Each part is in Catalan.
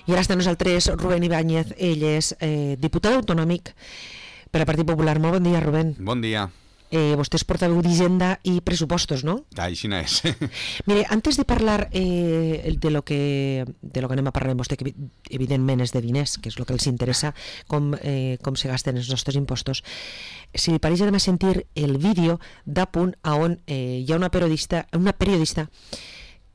I ara està amb nosaltres Rubén Ibáñez, ell és diputat autonòmic per al Partit Popular. Molt bon dia, Rubén. Bon dia. Vostè és portaveu d'Hisenda i Pressupostos, no? Així no és. Mire, antes de parlar de lo que anem a parlar amb vostè, que evidentment és de diners, que és el que els interessa, com se gasten els nostres impostos, si li pareix anem a sentir el vídeo d'Apunt on hi ha una periodista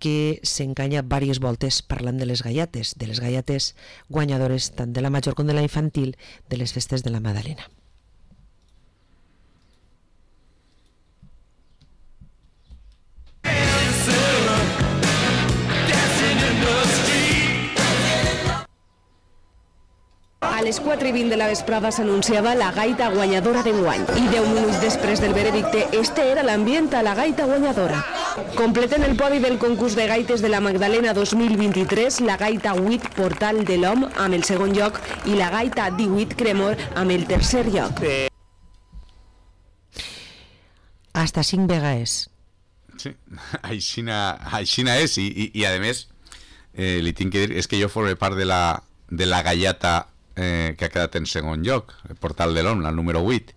que s'encanya diverses voltes parlant de les galletes guanyadores tant de la major com de la infantil de les festes de la Madalena. A les 4:20 de la vesprada s'anunciava la gaita guanyadora d'enguany i 10 minuts després del veredicte este era l'ambient a la gaita guanyadora. Completen el podi del concurs de gaites de la Magdalena 2023 la gaita 8 Portal de l'Hom amb el segon lloc i la gaita 18 Cremor amb el tercer lloc. Hasta 5 vegades. Sí, aixina és i a més li tinc que dir, és que jo formo part de la gallata que ha quedat en segon lloc, el Portal de l'Hom, la número 8,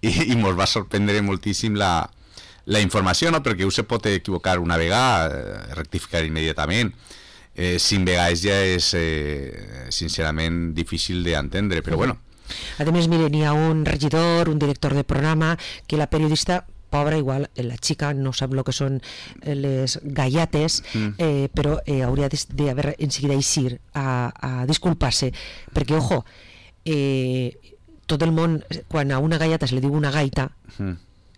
i mos va sorprendre moltíssim la informació, no? Perquè se pot equivocar una vegada, rectificar immediatament. 5 vegades ja és sincerament difícil d'entendre, però bueno. A més, mire, n'hi ha un regidor, un director de programa, que la periodista pobra, igual, la xica no sap el que són les galletes, però hauria d'haver en seguida eixir a disculpar-se, perquè, ojo, tot el món, quan a una galleta se li diu una gaita,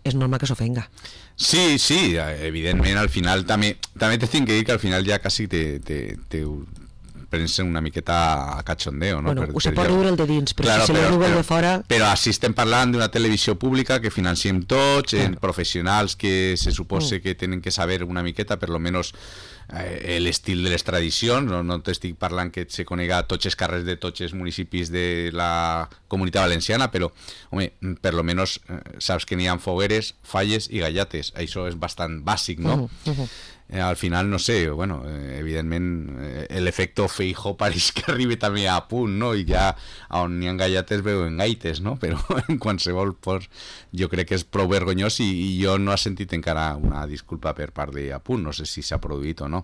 és normal que s'ofenga. Sí, evidentment, al final també te tinc que dir que al final ja quasi te prens una miqueta a cachondeo, no? Bueno, se pot riure el de dins, però claro, si se li riu el de fora... Però així estem parlant d'una televisió pública que financiem tots, claro. Professionals que se suposa que tenen que saber una miqueta, per lo menos l'estil de les tradicions, no t'estic parlant que se conega tots els carrers de tots els municipis de la Comunitat Valenciana, però, home, per lo menos saps que n'hi ha fogueres, falles i gallates, això és bastant bàsic, no? Al final, no sé, bueno, evidentment l'efecte Feijóo pareix que arribi també a punt, no? I ja on n'hi ha gallates veuen gaites, no? Però en qualsevol pues, jo crec que és prou vergonyós i jo no he sentit encara una disculpa per part d'Apunt, no sé si s'ha produït o no,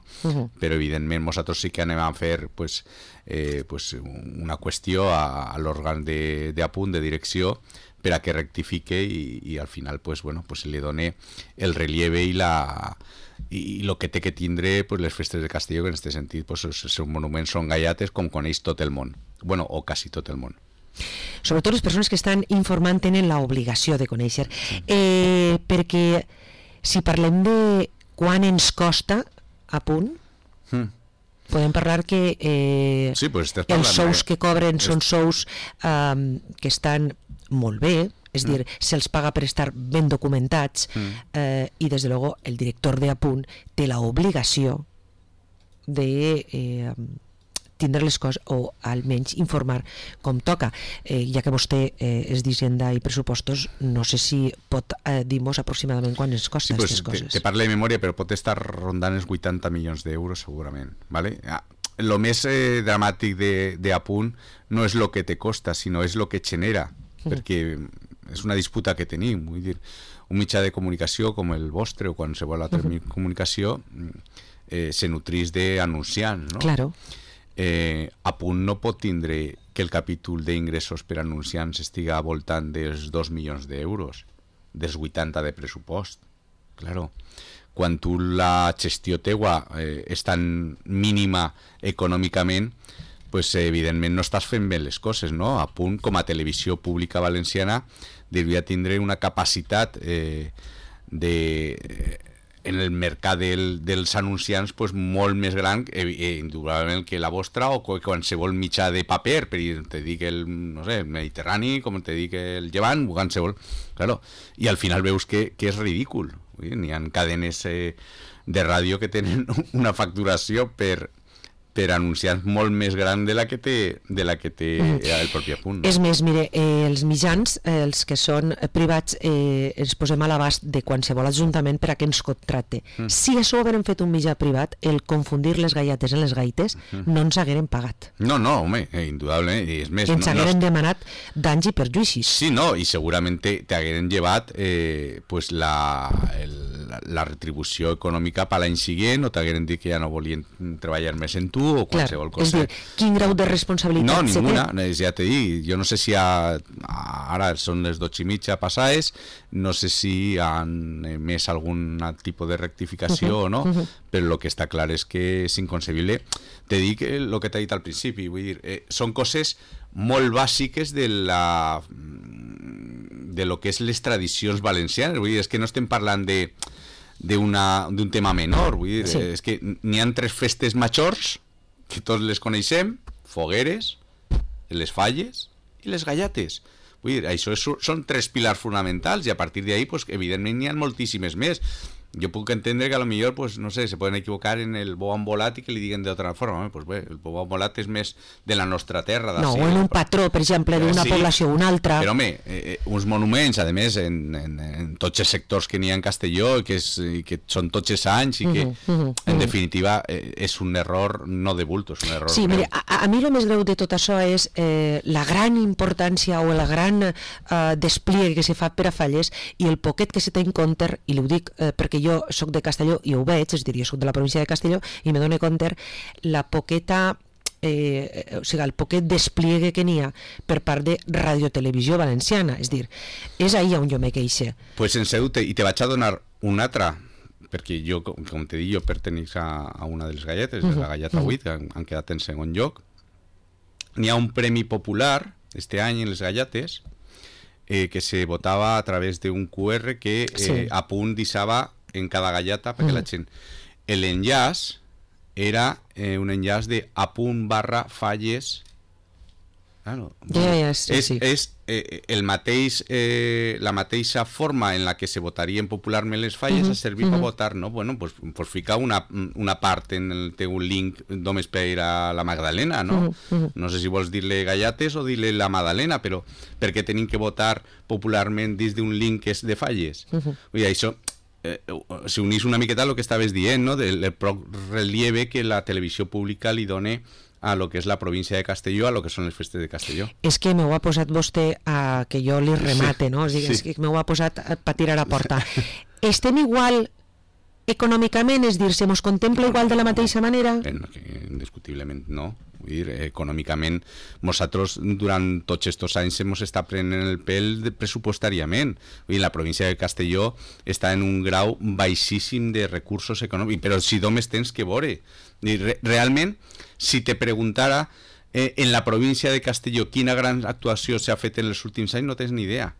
però evidentment nosaltres sí que anem a fer pues, una qüestió a l'òrgan d'Apunt, de direcció, per a que rectifique i al final pues, bueno, pues, li doni el relieve i el que té que tindre pues, les festes de Castelló, que en aquest sentit pues, els seus monuments són gallates com coneix tot el món, bueno, o quasi tot el món. Sobretot les persones que estan informant tenen l'obligació de conèixer, perquè si parlem de quan ens costa Apunt, podem parlar que sí, pues els sous que cobren són sous que estan molt bé, és dir, se'ls paga per estar ben documentats i des de luego el director d'Apunt té l'obligació de tindre les coses o almenys informar com toca. Ja que vostè és d'Hisenda i Pressupostos, no sé si pot dir-nos aproximadament quan ens costa aquestes coses. Te parlo de memòria, però pot estar rondant els 80 milions d'euros segurament, ¿vale? Lo més dramàtic d'Apunt no és el que te costa, sinó és el que genera, perquè és una disputa que tenim, vull dir, un mitjà de comunicació com el vostre o qualsevol altra comunicació se nutrís d'anunciants, no? Claro. Apunt no pot tindre que el capítol d'ingressos per anunciants estiga al voltant dels 2 milions d'euros, dels 80 de pressupost. Claro, quan tu la gestió teua és tan mínima econòmicament, pues evidentment no estàs fent bé les coses, no? Apunt, com a televisió pública valenciana, devia tindre una capacitat en el mercat dels anunciants pues, molt més gran, indubtablement, que la vostra o qualsevol mitjà de paper, per te dic el Mediterrani, com te dic el Llevant, qualsevol. Claro. I al final veus que és ridícul. N'hi ha cadenes de ràdio que tenen una facturació per per anunciants molt més gran de la que té el propi Apunt. No? És més, mire, els mitjans, els que són privats, ens posem a l'abast de qualsevol ajuntament per a que ens contracte. Si això ho haguérem fet un mitjà privat, el confundir les gaietes en les gaites, no ens hagueren pagat. No, home, indudable. I és més, ens hagueren demanat danys i perjuïcis. Sí, no, i segurament t'hagueren llevat pues la retribució econòmica per l'any següent, o t'hagueren dit que ja no volien treballar més en tu, o qualsevol cosa. És dir, quin grau de responsabilitat no, ninguna, ja t'he dit, jo no sé si ara són les 12:30 passades, no sé si han emès algun tipus de rectificació o no, però el que està clar és que és inconcebible. Te dic el que t'he dit al principi, vull dir, són coses molt bàsiques de lo que és les tradicions valencianes, vull dir, és que no estem parlant d'un tema menor, vull dir, és que n'hi ha 3 festes majors que tots les coneixem, fogueres, les falles i les gallates. Vull dir, això són 3 pilars fonamentals, i a partir d'ahí, pues, evidentment n'hi ha moltíssimes més. Jo puc entendre que a lo millor, pues, no sé, se poden equivocar en el bou embolat i que li diguen d'altra forma. Pues bé, el bou embolat és més de la nostra terra. No, o en un patró, per exemple, d'una població o una altra. Però, home, uns monuments, a més, en tots els sectors que n'hi ha en Castelló, que són tots els anys, i que, en definitiva, és un error no de bulto, és un error. Sí, mire, a mi el més greu de tot això és la gran importància o la gran despliegue que se fa per a falles, i el poquet que se té en compte, i ho dic perquè jo soc de Castelló i ho veig, és a dir, jo soc de la província de Castelló i me dono compte la poqueta o sigui, el poquet despliegue que n'hi ha per part de Radiotelevisió Valenciana, és dir, és ahí on jo me queixe. Pues en Ceuta, i te vaig a donar una altra, perquè jo, com te dic, jo pertenec a una de les galletes, la galleta 8, que han quedat en segon lloc. N'hi ha un premi popular este any en les galletes que se votava a través d'un QR que a punt deixava en cada galleta perquè la gent... L'enllaç era un enllaç de apunt/falles. Claro, és el mateix, la mateixa forma en la que se votarien popularment les falles, ha servit per votar, no? Bueno, pues ficar una part en el teu link només per a la Magdalena, no? No sé si vols dir-li gallates o dir-li la Magdalena, però perquè tenim que votar popularment dins d'un link que és de falles. Vull dir, això s'unís una miqueta a lo que estaves dient, no? Del relieve que la televisió pública li dona a lo que és la província de Castelló, a lo que són les festes de Castelló. És que m'ho ha posat vostè a que jo li remate, no? És que m'ho ha posat per tirar a porta. Estem igual econòmicament, és dir, se mos contempla igual de la mateixa manera? Indiscutiblement no. Vull dir, econòmicament, nosaltres durant tots aquests anys ens està prenent el pèl pressupostàriament. Vull dir, la província de Castelló està en un grau baixíssim de recursos econòmics, però si només tens que veure. Realment, si te preguntara en la província de Castelló quina gran actuació s'ha fet en els últims anys, no tens ni idea.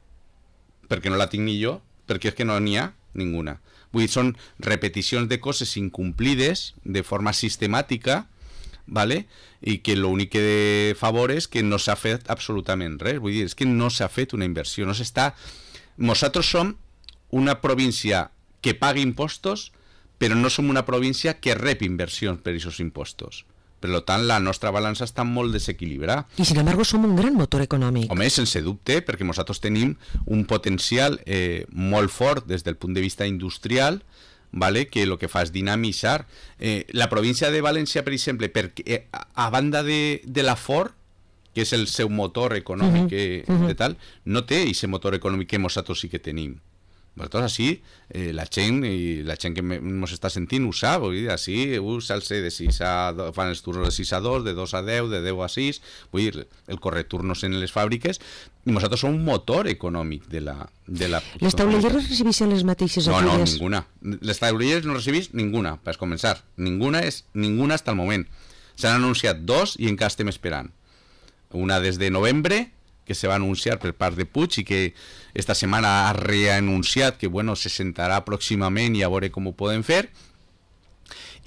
Perquè no la tinc ni jo, perquè és que no n'hi ha ninguna. Vull dir, són repeticions de coses incomplides de forma sistemàtica, ¿vale? I que l'únic que favor és que no s'ha fet absolutament res. Vull dir, és que no s'ha fet una inversió, no s'està... Nosaltres som una província que paga impostos, però no som una província que rep inversions per aquests impostos. Per tant, la nostra balança està molt desequilibrada. I, sin embargo, som un gran motor econòmic. Home, sense dubte, perquè nosaltres tenim un potencial molt fort des del punt de vista industrial, ¿vale? Que el que fa és dinamitzar. La província de València, per exemple, perquè a banda de la Ford, que és el seu motor econòmic de tal, no té aquest motor econòmic que nosaltres sí que tenim. Nosaltres així, la gent que ens està sentint ho sap, vull dir, així s'alça de 6 a 2, fan els turnos de 6 a 2, de 2 a 10, de 10 a 6, vull dir, el correturnos en les fàbriques, i nosaltres som un motor econòmic de la... Les taulelleres recibeixen les mateixes ajudes? No, ninguna. Les taulelleres no recibeix ninguna, per començar. Ninguna hasta el moment. S'han anunciat 2 i encara estem esperant. Una des de novembre, que se va anunciar per part de Puig i que esta setmana ha reanunciat que bueno, se sentarà pròximament i a veure com ho poden fer,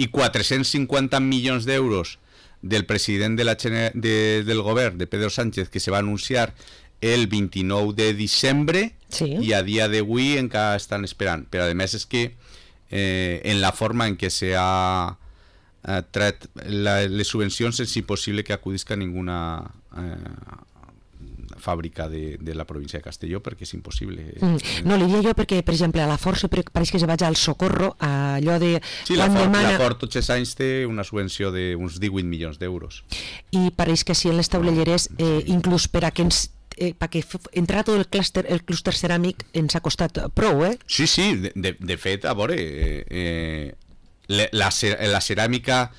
i 450 milions d'euros del president del govern, de Pedro Sánchez, que se va anunciar el 29 de diciembre, i a dia d'avui encara estan esperant. Però a més és que en la forma en què s'ha tret les subvencions és impossible que acudisca ninguna fàbrica de la província de Castelló, perquè és impossible. No, li diria jo perquè, per exemple, a la Força pareix que se vaig al Socorro, allò de... Sí, la Ford tots els anys té una subvenció d'uns 18 milions d'euros. I pareix que sí, en les taulelleres, inclús per a que perquè entrar tot el clúster ceràmic ens ha costat prou, eh? Sí, de fet, a veure, la ceràmica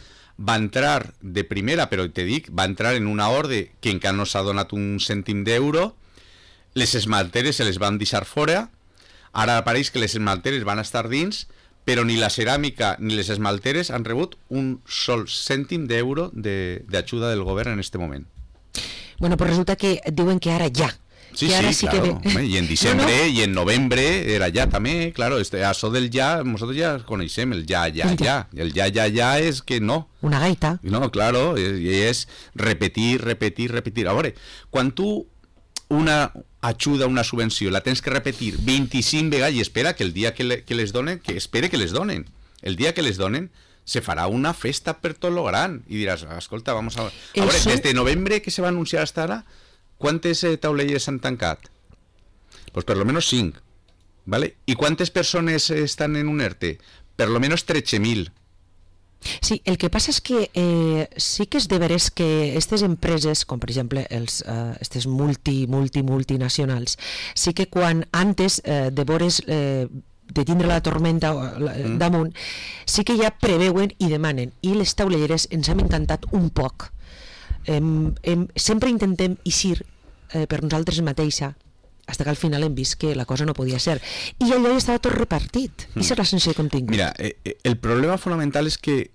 va entrar de primera, però te dic, va entrar en una ordre que encara no s'ha donat un cèntim d'euro, les esmalteres se les van deixar fora, ara pareix que les esmalteres van estar dins, però ni la ceràmica ni les esmalteres han rebut un sol cèntim d'euro d'ajuda del govern en este moment. Bueno, pues resulta que diuen que ara ja. Sí, claro. Y en diciembre y en noviembre era ya también, claro, eso del ya, nosotros ya conocemos el ya. El ya es que no. Una gaita. No, claro, y es repetir. Ahora, cuando tú una ajuda, una subvenció, la tens que repetir 25 vegades y espera que el día que les donen, que espere que les donen. El día que les donen, se farà una festa per tot lo gran. I diràs, escolta, vamos a... Ahora, desde noviembre que se va anunciar hasta ahora, ¿cuántas taulelleres han tancat? Pues per lo menos 5, ¿vale? ¿Y cuántas personas están en un ERTE? Per lo menos 13.000. Sí, el que passa és que sí que és de veres que aquestes empreses, com per exemple aquestes multinacionals, sí que quan antes de veures de tindre la tormenta damunt, sí que ja preveuen i demanen, i les taulelleres ens hem encantat un poc. Sempre intentem eixir per nosaltres mateixa, fins que al final hem vist que la cosa no podia ser, i allò ja estava tot repartit. I és la sensació que hem tingut. Mira, el problema fonamental és que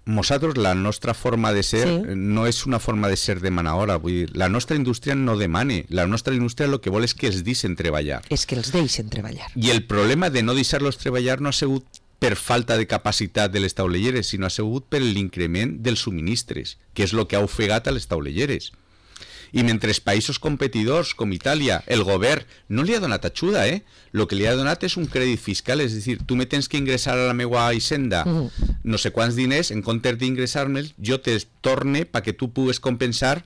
nosaltres, la nostra forma de ser, no és una forma de ser demanadora. Vull dir, la nostra indústria no demane, la nostra indústria el que vol és que els deixen treballar. És que els deixen treballar. I el problema de no deixar-los treballar no ha sigut per falta de capacitat de les taulelleres, sinó ha sigut per l'increment dels subministres, que és el que ha ofegat a les taulelleres. I mentre països competidors com Itàlia, el govern no li ha donat ajuda, el que li ha donat és un crèdit fiscal, és a dir, tu me tens que ingressar a la meva hisenda no sé quants diners, en comptes d'ingressar-me'ls, jo te torne perquè tu pugues compensar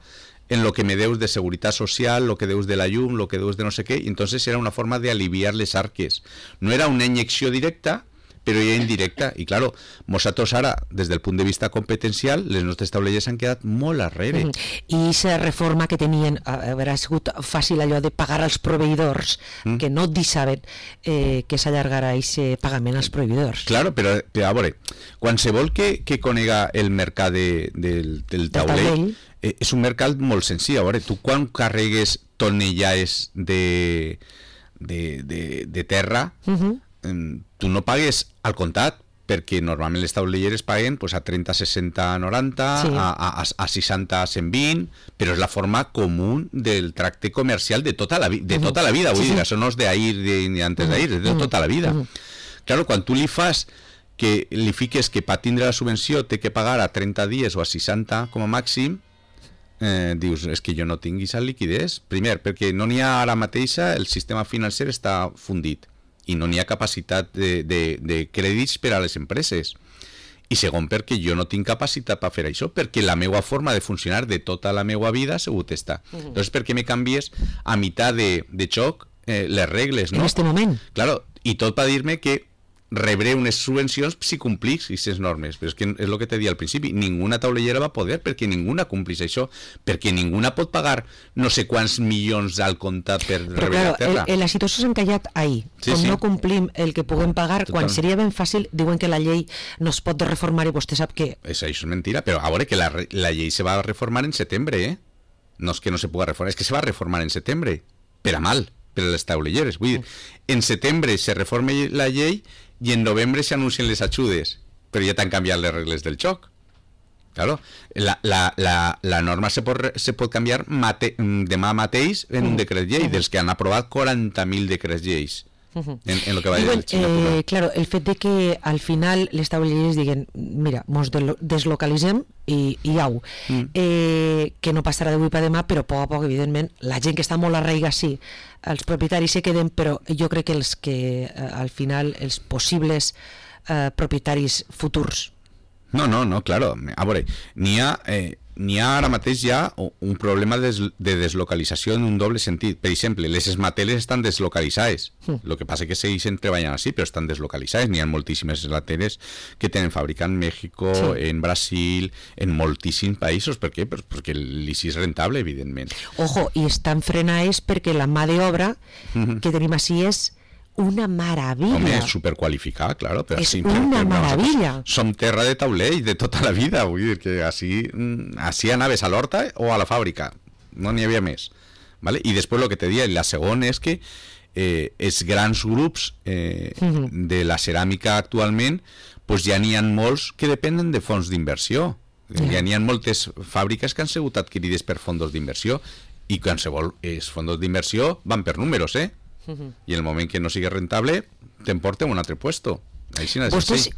en lo que me deus de seguretat social, lo que deus de la llum, lo que deus de no sé què, i entonces era una forma de aliviar les arques. No era una injecció directa, però ja indirecta, i claro, nosaltres ara, des del punt de vista competencial, les nostres taulelles han quedat molt arrere. I aquesta reforma que tenien, haurà sigut fàcil allò de pagar als proveïdors, que no deixaven que s'allargara aquest pagament als proveïdors. Claro, però a veure, qualsevol que conega el mercat del taulell, és un mercat molt senzill. A veure, tu quan carregues tonellades de terra, tu no pagues al comptat, perquè normalment les taulelleres paguen pues, a 30, 60, 90, a 60, 120, però és la forma comú del tracte comercial de tota la vida. Vull dir, això no és d'ahir ni antes d'ahir, és de tota la vida. Claro, quan tu li fiques que per tindre la subvenció té que pagar a 30 dies o a 60 com a màxim, dius, és que jo no tinc aquesta liquidez. Primer, perquè no n'hi ha ara mateixa, el sistema financer està fundit i no n'hi ha capacitat de crèdits per a les empreses. I segon, perquè jo no tinc capacitat per fer això, perquè la meva forma de funcionar de tota la meva vida ha sigut esta. Llavors, per què me canvies a meitat de xoc les regles, no? En este moment. Claro, i tot per dir-me que rebré unes subvencions si complís aquestes normes, però és que és el que t'he dit al principi, ninguna taulellera va poder perquè ninguna complís això, perquè ninguna pot pagar no sé quants milions al comptat per rebre la terra. La situació s'ha encallat ahí, com no complim el que puguem pagar, quan seria ben fàcil, diuen que la llei no es pot reformar i vostè sap que... Això és mentira, però a veure que la llei se va reformar en setembre, no és que no se puga reformar, és que se va reformar en setembre, per a mal, per a les taulelleres. Vull dir, en setembre se reforma la llei i en novembre s'anuncien les ajudes, però ja t'han canviat les regles del joc. Claro, la norma se pot canviar demà mateix en un decret llei, dels que han aprovat 40.000 decrets lleis. En lo que va de legislatura. Claro, el fet de que al final les taulelleres diguen, mira, mos deslocalitzem i au, que no passarà d'avui per demà, però a poc a poc, evidentment, la gent que està molt arraiga, sí, els propietaris se queden, però jo crec que al final els possibles propietaris futurs No, claro. A veure, n'hi ha ara mateix ja un problema de deslocalització en un doble sentit. Per exemple, les esmateles estan deslocalitzades. El que passa que segueixen treballant així, però estan deslocalitzades. N'hi ha moltíssimes esmateles que tenen fàbrica en Mèxico, en Brasil, en moltíssims països. Per què? Perquè l'ICI és rentable, evidentment. Ojo, i estan frenades perquè la mà d'obra que tenim així és una meravella. Home, és superqualificat, claro. Però és una meravella. Som terra de taulell de tota la vida, vull dir que així anaves a l'horta o a la fàbrica, no n'hi havia més, ¿vale? I després el que te dia, la segona és que els grans grups de la ceràmica actualment, pues ja n'hi ha molts que depenen de fons d'inversió. Ja n'hi ha moltes fàbriques que han sigut adquirides per fons d'inversió, i qualsevol fons d'inversió van per números, i en el moment que no sigui rentable t'emporten un altre puesto. Vostès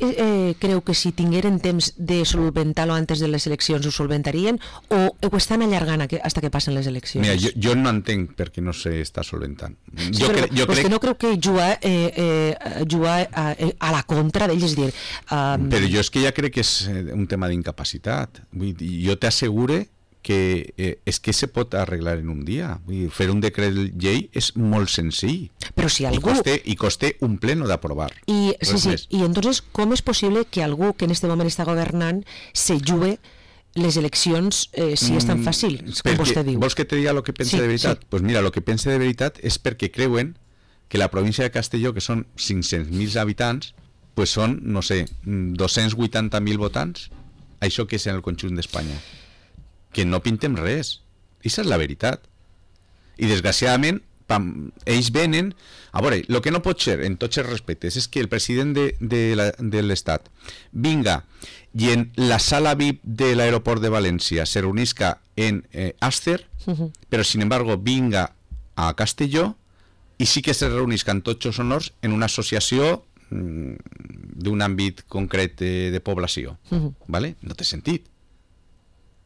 creu que si tingueren temps de solventar-lo antes de les eleccions ho solventarien o ho estan allargant fins que passen les eleccions? Mira, jo no entenc per què no s'està solventant. Jo crec que no creu que jugar a la contra d'ells, és dir... Però jo és que ja crec que és un tema d'incapacitat. Jo t'assegure que és que se pot arreglar en un dia. Vull dir, fer un decret llei és molt senzill. Però si algú... I costa un pleno d'aprovar. I entonces, com és possible que algú que en este moment està governant se jugue les eleccions si és tan fàcil, com vostè diu? Vols que te diga el que pensa de veritat? Pues mira, el que pensa de veritat és perquè creuen que la província de Castelló, que són 500.000 habitants, pues són, no sé, 280.000 votants. Això que és en el conjunt d'Espanya. Que no pintem res. Aquesta és la veritat. I desgraciadament ells venen... A veure, el que no pot ser, en tots els respectes, és que el president de l'Estat vinga i en la sala VIP de l'aeroport de València se reunisca en Àster, però sin embargo vinga a Castelló i sí que se reunisca en tots els honors en una associació d'un àmbit concret de població. ¿Vale? No té sentit.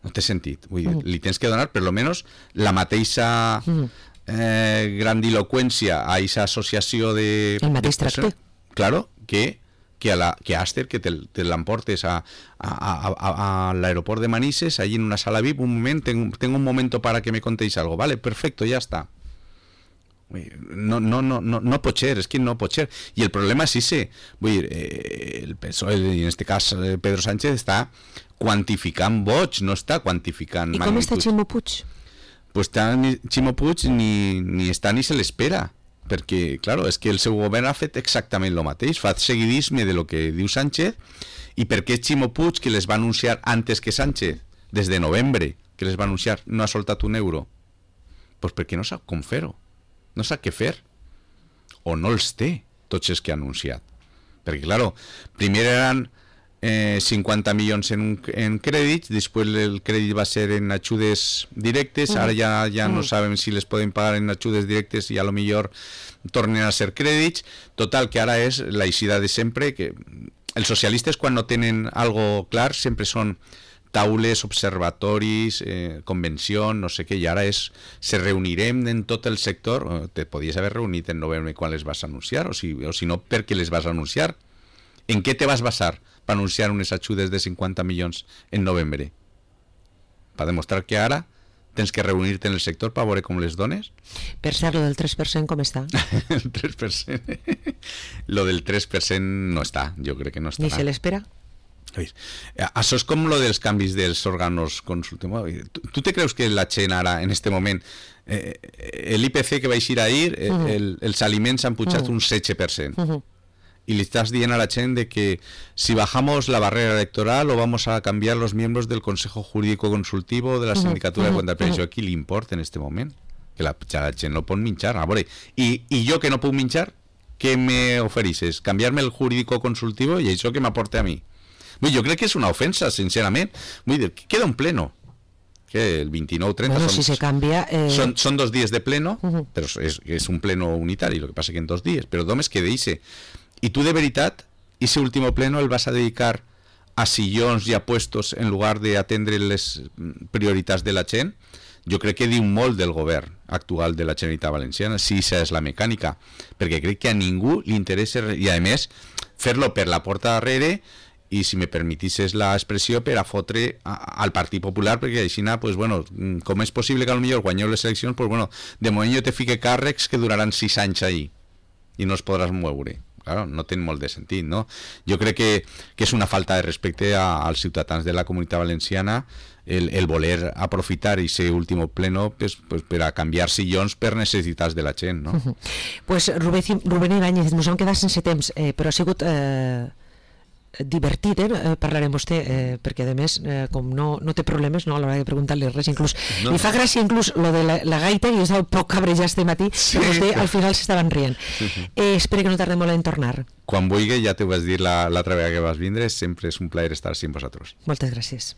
No té sentit. Vull dir, li tens que donar per lo menos la mateixa grandiloqüència a aquesta associació de... El mateix tracte. Claro, que a Àster, que te l'emportes a l'aeroport de Manises, allí en una sala VIP, un moment, tengo un momento para que me contéis algo. Vale, perfecto, ya está. No pot ser, és que no pot ser. I el problema és ese. Vull dir, el PSOE, en este cas Pedro Sánchez, està quantificant vots, no està quantificant magnituds. I com està Ximo Puig? Pues Ximo Puig ni està ni se l'espera, perquè, claro, és que el seu govern ha fet exactament el mateix, fa seguidisme de lo que diu Sánchez. I per què Ximo Puig, que les va anunciar antes que Sánchez, des de novembre, que les va anunciar, no ha soltat un euro? Pues perquè no sap com fer-ho. No sap què fer, o no els té tots els que ha anunciat, perquè claro, primer eren 50 milions en crèdits, després el crèdit va ser en ajudes directes, ara ja no sabem si les poden pagar en ajudes directes i a lo millor tornen a ser crèdits. Total, que ara és la eixida de sempre, que els socialistes quan no tenen algo clar sempre són taules, observatoris, convenció, no sé què, i ara se reunirem en tot el sector. Te podies haver reunit en novembre quan les vas anunciar, o si no, per què les vas anunciar? En què te vas basar per anunciar unes ajudes de 50 milions en novembre? Per demostrar que ara tens que reunir-te en el sector per veure com les dones? Per cert, lo del 3% com està? El 3%? Lo del 3% no està, jo crec que no està. Ni se l'espera? Això és com lo dels canvis dels òrganos consultius. Tu te creus que la gent ara, en este moment, l'IPC que va eixir ahir, els aliments han pujat un 16%. Y le estás diciendo a la gente de que si bajamos la barrera electoral o vamos a cambiar los miembros del Consejo Jurídico Consultivo de la Sindicatura de Cuentas. Però això a qui li importa en este moment? Que la gent no pot minxar. I jo que no puc minxar, què me ofereixes? Canviar-me el Jurídico Consultivo i això que m'aporta a mi? Jo crec que és una ofensa, sincerament. Vull dir, queda un pleno. Que el 29-30 bueno, si se cambia, son 2 dies de pleno, però és un pleno unitari, el que passa que en 2 dies, però només queda ese. I tu de veritat, ese último pleno el vas a dedicar a sillons i a puestos en lugar de atendre les prioritats de la gent? Jo crec que diu molt del govern actual de la Generalitat Valenciana, si esa és la mecànica, perquè crec que a ningú li interessa, i a més fer-lo per la porta darrere i si me permetisses l'expressió, per a fotre al Partit Popular, perquè així, pues, bueno, com és possible que potser guanyeu les eleccions, pues, bueno, de moment jo te fique càrrecs que duraran 6 anys ahí i no es podràs moure. Claro, no té molt de sentit, no? Jo crec que és una falta de respecte als ciutadans de la Comunitat Valenciana el voler aprofitar aquest últim pleno pues, per a canviar sillons per necessitats de la gent, no? Pues Rubén Ibáñez, ens hem quedat sense temps, però ha sigut divertit parlar amb vostè, perquè a més com no té problemes a l'hora de preguntar-li res, inclús li fa gràcia inclús lo de la gaita, i estava poc cabrejat este matí, que vostè al final s'estaven rient. Espero que no tardem molt en tornar. Quan vulgui, ja t'ho vas dir l'altra vegada que vas vindre, sempre és un plaer estar així amb vosaltres. Moltes gràcies.